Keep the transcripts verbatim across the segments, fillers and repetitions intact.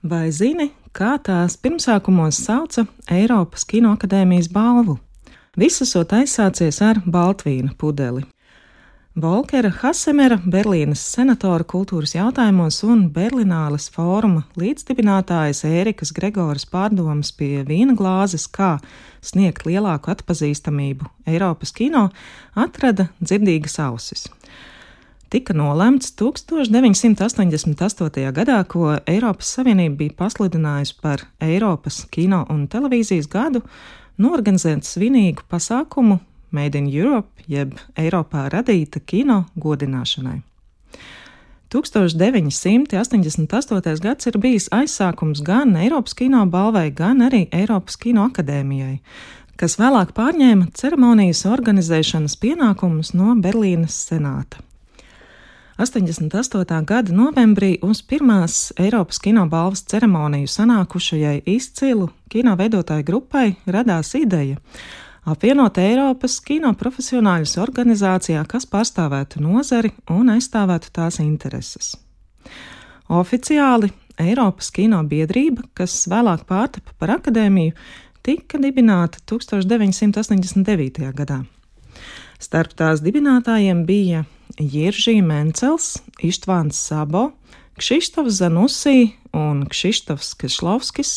Vai zini, kā tās pirmsākumos sauca Eiropas Kinoakadēmijas balvu? Viss esot aizsācies ar baltvīna pudeli. Volkera Hasemera, Berlīnes senatora kultūras jautājumos un Berlināles fóruma līdzdibinātājas Ērikas Gregoras pārdomas pie vīna glāzes, kā sniegt lielāku atpazīstamību Eiropas kino, atrada dzirdīgas ausis. Tika nolemts tūkstoš deviņsimt astoņdesmit astotajā gadā, ko Eiropas Savienība bija pasludinājusi par Eiropas kino un televīzijas gadu, norganizēt svinīgu pasākumu Made in Europe, jeb Eiropā radīta kino godināšanai. tūkstoš deviņsimt astoņdesmit astotais gads ir bijis aizsākums gan Eiropas kino balvai, gan arī Eiropas Kinoakadēmijai, kas vēlāk pārņēma ceremonijas organizēšanas pienākumus no Berlīnes senāta. astoņdesmit astotā gada novembrī uz pirmās Eiropas kino balvas ceremoniju sanākušajai izcilu kino veidotāju grupai radās ideja apvienot Eiropas kino profesionāļus organizācijā, kas pārstāvētu nozari un aizstāvētu tās intereses. Oficiāli Eiropas kino biedrība, kas vēlāk pārtapa par akadēmiju, tika dibināta tūkstoš deviņsimt astoņdesmit devītajā gadā. Starp tās dibinātājiem bija Jiržī Mencels, Ištvāns Sabo, Kšištofs Zanusī un Kšištofs Kešlovskis,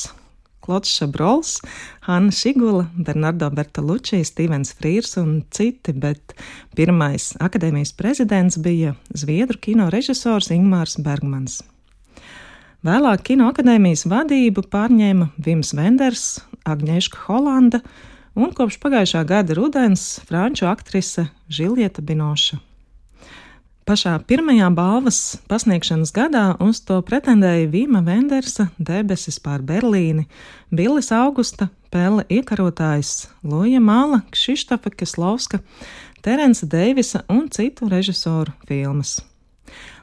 Klods Šabrols, Hanna Šigula, Bernardo Bertolucci, Stīvens Frīrs un citi, bet pirmais akadēmijas prezidents bija zviedru kino režisors Ingmārs Bergmans. Vēlāk Kinoakadēmijas vadību pārņēma Vims Venders, Agņeška Holanda un kopš pagājušā gada rudens franču aktrise Žiljeta Binoša. Pašā pirmajā balvas pasniegšanas gadā uz to pretendēja Vima Vendersa Debesis pār Berlīni, Billis Augusta, Pelle Iekarotājs, Luja Mala, Kšištofa Keslovska, Terence Deivisa un citu režisoru filmas.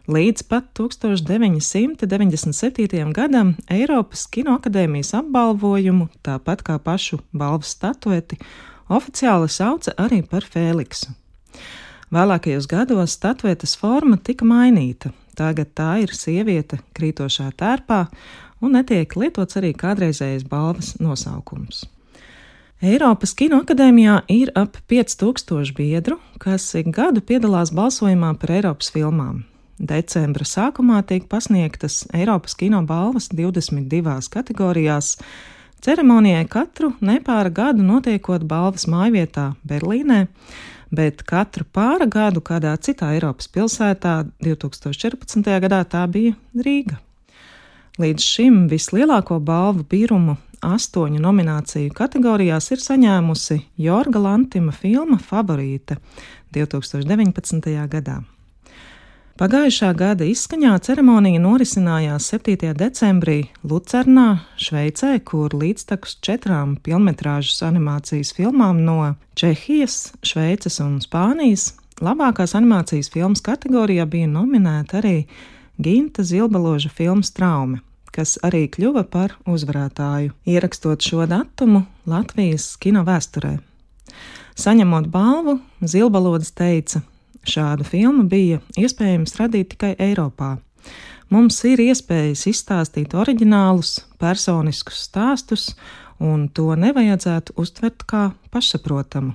Līdz pat tūkstoš deviņsimt deviņdesmit septītajam gadam Eiropas Kinoakadēmijas apbalvojumu, tāpat kā pašu balvas statueti, oficiāli sauca arī par Fēliksu. Vēlākajos gados statuetes forma tika mainīta. Tagad tā ir sieviete krītošā tērpā un netiek lietots arī kādreizējais balvas nosaukums. Eiropas Kinoakadēmijā ir ap pieci tūkstoši biedru, kas ik gadu piedalās balsojumā par Eiropas filmām. Decembra sākumā tiek pasniegtas Eiropas kino balvas divdesmit divās kategorijās. Ceremonijai katru nepāra gadu notiekot balvas mājvietā Berlīnē, bet katru pāra gadu kādā citā Eiropas pilsētā, divtūkstoš četrpadsmitajā gadā tā bija Rīga. Līdz šim vislielāko balvu birumu astoņu nomināciju kategorijās ir saņēmusi Jorga Lantima filma Favorīte divtūkstoš deviņpadsmitajā gadā. Pagājušā gada izskaņā ceremonija norisinājās septītajā decembrī Lucernā, Šveicē, kur līdztekus četrām pilnmetrāžas animācijas filmām no Čehijas, Šveices un Spānijas labākās animācijas filmas kategorijā bija nominēta arī Ginta Zilbaloža filmas Traume, kas arī kļuva par uzvarētāju, ierakstot šo datumu Latvijas kino vēsturē. Saņemot balvu, Zilbalodis teica: šādu filmu bija iespējams radīt tikai Eiropā. Mums ir iespējas izstāstīt oriģinālus, personiskus stāstus, un to nevajadzētu uztvert kā pašsaprotamu.